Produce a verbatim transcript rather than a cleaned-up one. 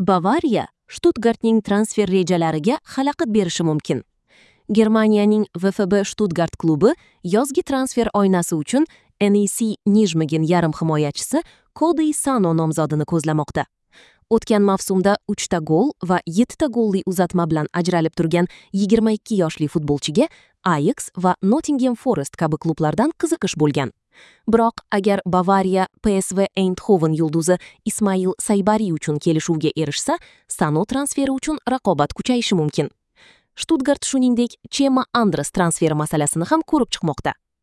Bavariya Stuttgartning transfer rejalariga xalaqit berishi mumkin. Germaniyaning V F B Stuttgart klubi yozgi transfer oynasi uchun N E C Nijmegen yarim himoyachisi Kodey Sano nomzodini ko'zlamoqda. O'tgan mavsumda uch ta gol va yetti ta golli uzatma bilan ajralib turgan yigirma ikki yoshli futbolchiga Ajax va Nottingham Forest kabi klublardan qiziqish bo'lgan. Biroq agar Bavariya P S V Eindhoven yulduzi Ismail Saybari uchun kelishuvga erishsa, Sano transferi uchun raqobat kuchayishi mumkin. Stuttgart shuningdek Chema Andres transferi masalasini ham ko'rib chiqmoqda.